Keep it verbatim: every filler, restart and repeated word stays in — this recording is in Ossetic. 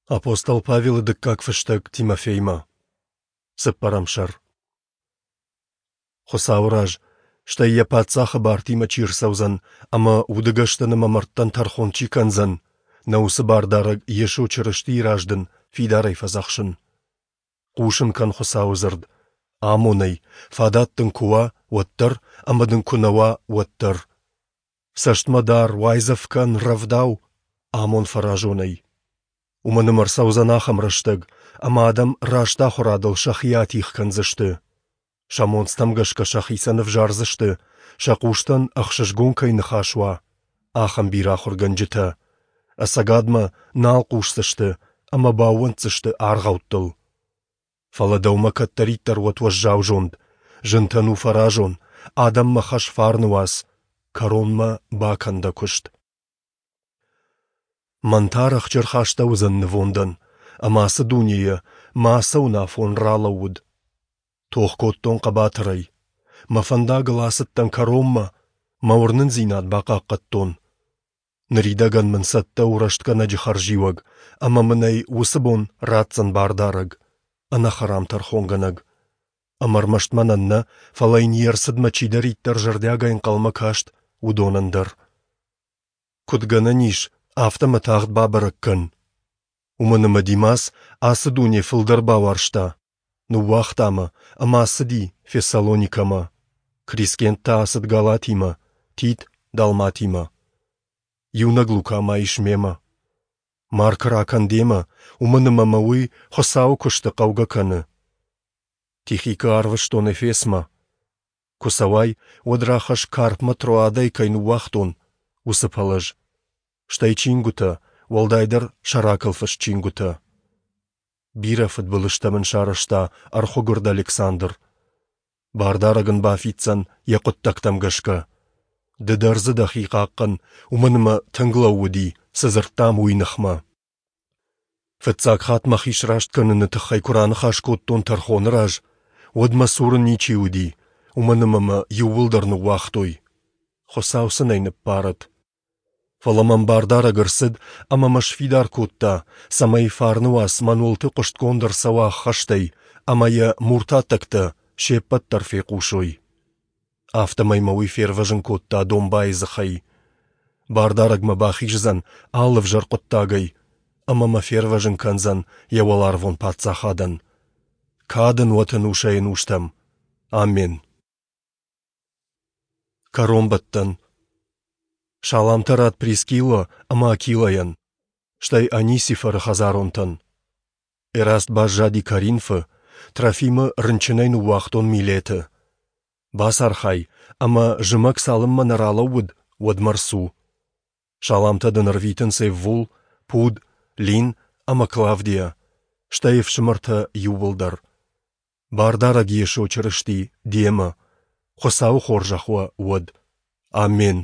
Апостол Павелы дыккаг фыстӕг Тимофеймӕ. Цыппӕрӕм сӕр. Хуыцауы раз, стӕй йӕ паддзахы бартимӕ чи рцӕудзӕн ӕмӕ удыгӕстӕн ӕмӕ мӕрдтӕн тӕрхон чи кӕндзӕн, нӕ уыцы Бардарӕг Йесо Чырыстийы раз дын фидарӕй фӕдзӕхсын. Хъусын кӕн Хуыцауы дзырд, амон ӕй, фадат дын куы уа, уӕддӕр, ӕмӕ дын куы нӕ уа, уӕддӕр. Цӕстмӕ дар, уайдзӕф кӕн, рӕвдау, амон фӕразонӕй. Уымӕн ӕмӕ ӕрцӕудзӕн ахӕм рӕстӕг, ӕмӕ адӕм раст ахуырадыл сӕхи атигъ кӕндзысты. Сӕ монцтӕм гӕсгӕ сӕхицӕн ӕвзардзысты, сӕ хъустӕн ӕхсызгон кӕй ныхас уа, ахӕм бирӕ ахуыргӕнджытӕ. Ӕцӕгадмӕ нал хъусдзысты ӕмӕ баууӕнддзысты аргъӕуттыл. Фӕлӕ дӕумӕ кӕддӕриддӕр уӕд уӕззау зонд, зынтӕн у фӕразон, адӕммӕ хӕс фарны уац, кӕронмӕ бакӕн дӕ куыст. Мӕн та рӕхджы ӕрхастӕуыдзӕн нывондӕн, ӕмӕ ацы дунейӕ мӕ ацӕуын афон ралӕууыд. Тох кодтон хъӕбатырӕй. Мӕ фӕндагыл ацыдтӕн кӕронмӕ, мӕ уырнындзинад бахъахъхъӕдтон. Ныридӕгӕн мын цӕттӕ у рӕстгӕнӕджы хӕрзиуӕг, ӕмӕ мын ӕй уыцы бон ратдзӕн Бардарӕг, ӕнӕхӕрам тӕрхонгӕнӕг. Ӕмӕ ӕрмӕст мӕнӕн нӕ, фӕлӕ йын йе рцыдмӕ чидӕриддӕр зӕрдиагӕй ӕнхъӕлмӕ каст, уыдонӕн дӕр. Куыд гӕнӕн ис, афтӕ мӕ тагъд бабӕрӕг кӕн. Уымӕн ӕмӕ Димас ацы дуне фылдӕр бауарзта, ныууагъта мӕ ӕмӕ ацыди Фессалоникӕмӕ. Крискент та ацыд Галатимӕ, Тит Далматимӕ. Иунӕг Лука ма ис мемӕ. Маркы ракӕн демӕ, уымӕн ӕмӕ мӕ уый Хуыцауы куысты хъӕугӕ кӕны. Тихикы арвыстон Эфесмӕ. Куы цӕуай, уӕд рахӕсс Карпмӕ Троадӕй кӕй ныууагътон, уыцы пӕлӕз. Стӕй чингуытӕ, уӕлдайдӕр сӕракыл фыст чингуытӕ. Бирӕ фыдбылызтӕ мын сарӕзта ӕрхуыгуырд Александр. Бардарӕг ын бафиддзӕн йӕ хъуыддӕгтӕм гӕсгӕ. Ды дӕр дзы дӕхи хъахъхъӕн, уымӕн ӕмӕ тынг лӕууыди, цы дзырдтам, уый ныхмӕ. Фыццаг хатт мӕхи сраст кӕныны тыххӕй куы раныхас кодтон тӕрхоны раз, уӕд мӕ цуры ничи уыди, уымӕн ӕмӕ мӕ иууылдӕр ныууагътой. Хуыцау сын ӕй ныббарӕд. Фӕлӕ мӕм Бардарӕг ӕрцыд ӕмӕ мӕ сфидар кодта, цӕмӕй фарны уац мӕн уылты хъуыстгонд ӕрцӕуа ӕххӕстӕй ӕмӕ йӕ муртаттӕгтӕ се ппӕт дӕр фехъусой. Афтӕмӕй мӕ уый фервӕзын кодта домбайы дзыхӕй. Бардарӕг мӕ бахиздзӕн алы ӕвзӕр хъуыддагӕй ӕмӕ мӕ фервӕзын кӕндзӕн йӕ уӕларвон паддзахадӕн. Кад ын уӕт ӕнусӕй-ӕнустӕм. Амен. Кӕронбӕттӕн. Саламтӕ ратт Прискиллӕ ӕмӕ Акилӕйӕн, стӕй Онисифоры хӕдзаронтӕн. Эраст баззади Коринфы, Трофимы рынчынӕй ныууагътон Милеты. Бацархай, ӕмӕ зымӕг цалынмӕ нӕ ралӕууыд, уӕдмӕ рцу. Саламтӕ дын ӕрвитынц Эввул, Пуд, Лин ӕмӕ Клавдия, стӕй ӕфсымӕртӕ иууылдӕр. Бардарӕг Йесо Чырысти демӕ. Хуыцауы хорзӕх уӕ уӕд. Амен.